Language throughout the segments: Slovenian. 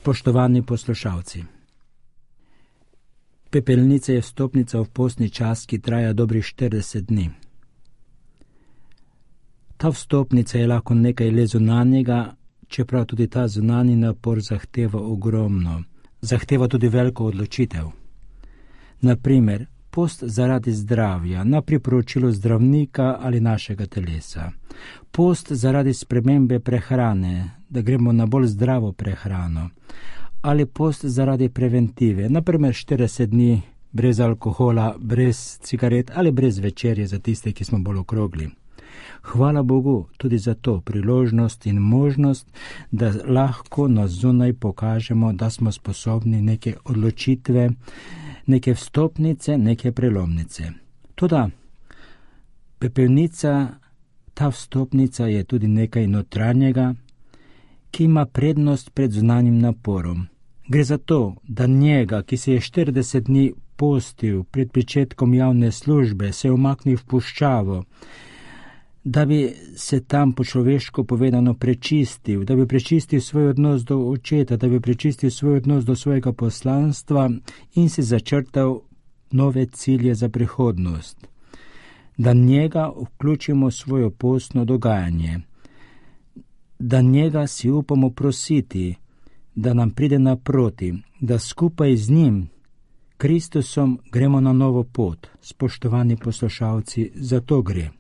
Spoštovani poslušalci, pepelnica je vstopnica v postni čas, ki traja dobrih 40 dni. Ta vstopnica je lahko nekaj le zunanjega, čeprav tudi ta zunanji napor zahteva ogromno, zahteva tudi veliko odločitev. Naprimer, post zaradi zdravja, na priporočilo zdravnika ali našega telesa. Post zaradi spremembe prehrane, da gremo na bolj zdravo prehrano. Ali post zaradi preventive, naprimer 40 dni brez alkohola, brez cigaret ali brez večerje za tiste, ki smo bolj okrogli. Hvala Bogu tudi za to priložnost in možnost, da lahko na zunaj pokažemo, da smo sposobni neke odločitve, neke vstopnice, neke prelomnice. Toda pepelnica, ta vstopnica je tudi nekaj notranjega, ki ima prednost pred zunanjim naporom. Gre za to, da njega, ki se je 40 dni postil pred pričetkom javne službe, se umaknil v puščavo, da bi se tam po človeško povedano prečistil, da bi prečistil svoj odnos do očeta, da bi prečistil svoj odnos do svojega poslanstva in si začrtal nove cilje za prihodnost. Da njega vključimo v svojo postno dogajanje, da njega si upamo prositi, da nam pride naproti, da skupaj z njim, Kristusom, gremo na novo pot. Spoštovani poslušalci, za to gre.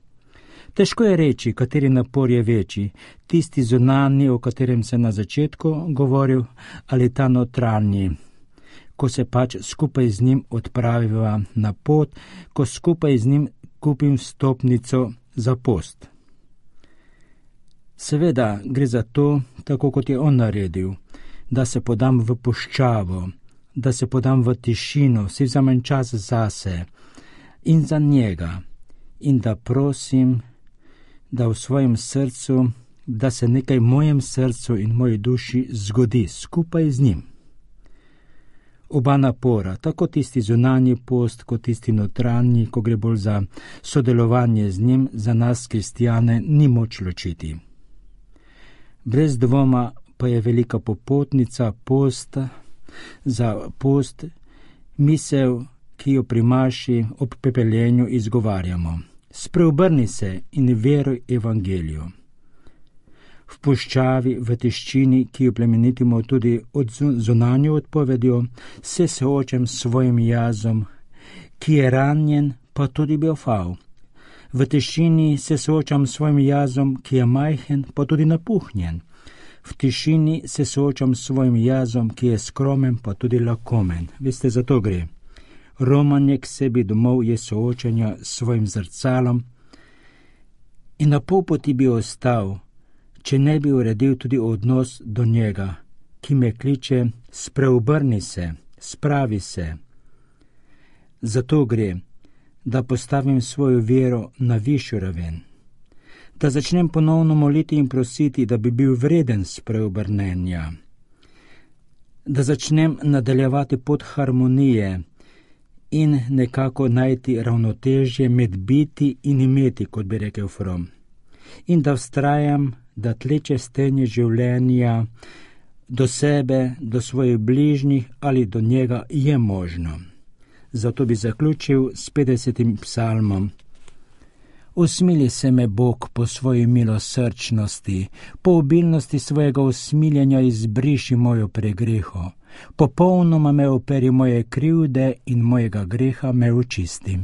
Težko je reči, kateri napor je večji, tisti zunanji, o katerem se na začetku govoril, ali ta notranji, ko se pač skupaj z njim odpraviva na pot, ko skupaj z njim kupim vstopnico za post. Seveda gre za to, tako kot je on naredil, da se podam v puščavo, da se podam v tišino, si vzamem čas zase in za njega in da prosim, da v svojem srcu, da se nekaj v mojem srcu in moji duši zgodi skupaj z njim. Oba napora, tako tisti zunanji post, kot tisti notranji, ko gre bolj za sodelovanje z njim, za nas kristjane ni moč ločiti. Brez dvoma pa je velika popotnica posta, za post, misel, ki jo pri maši ob pepeljenju izgovarjamo. Spreobrni se in veruj evangeliju. V puščavi, v tiščini, ki jo plemenitimo tudi od zunanjo odpovedjo, se soočam s svojim jazom, ki je ranjen, pa tudi biofal. V tišini se soočam s svojim jazom, ki je majhen, pa tudi napuhnjen. V tišini se soočam s svojim jazom, ki je skromen, pa tudi lakomen. Veste, za to gre. Romanje k sebi domov je soočanja s svojim zrcalom in na pol poti bi ostal, če ne bi uredil tudi odnos do njega, ki me kliče, spreobrni se, spravi se. Zato gre, da postavim svojo vero na višjo raven, da začnem ponovno moliti in prositi, da bi bil vreden spreobrnenja, da začnem nadaljevati pot harmonije in nekako najti ravnotežje med biti in imeti, kot bi rekel From. In da vztrajam, da tleče stenje življenja do sebe, do svojih bližnjih ali do njega je možno. Zato bi zaključil s 50. psalmom. Usmili se me, Bog, po svoji milosrčnosti, po obilnosti svojega usmiljenja izbriši mojo pregreho. Popolnoma me operi moje krivde in mojega greha me očisti.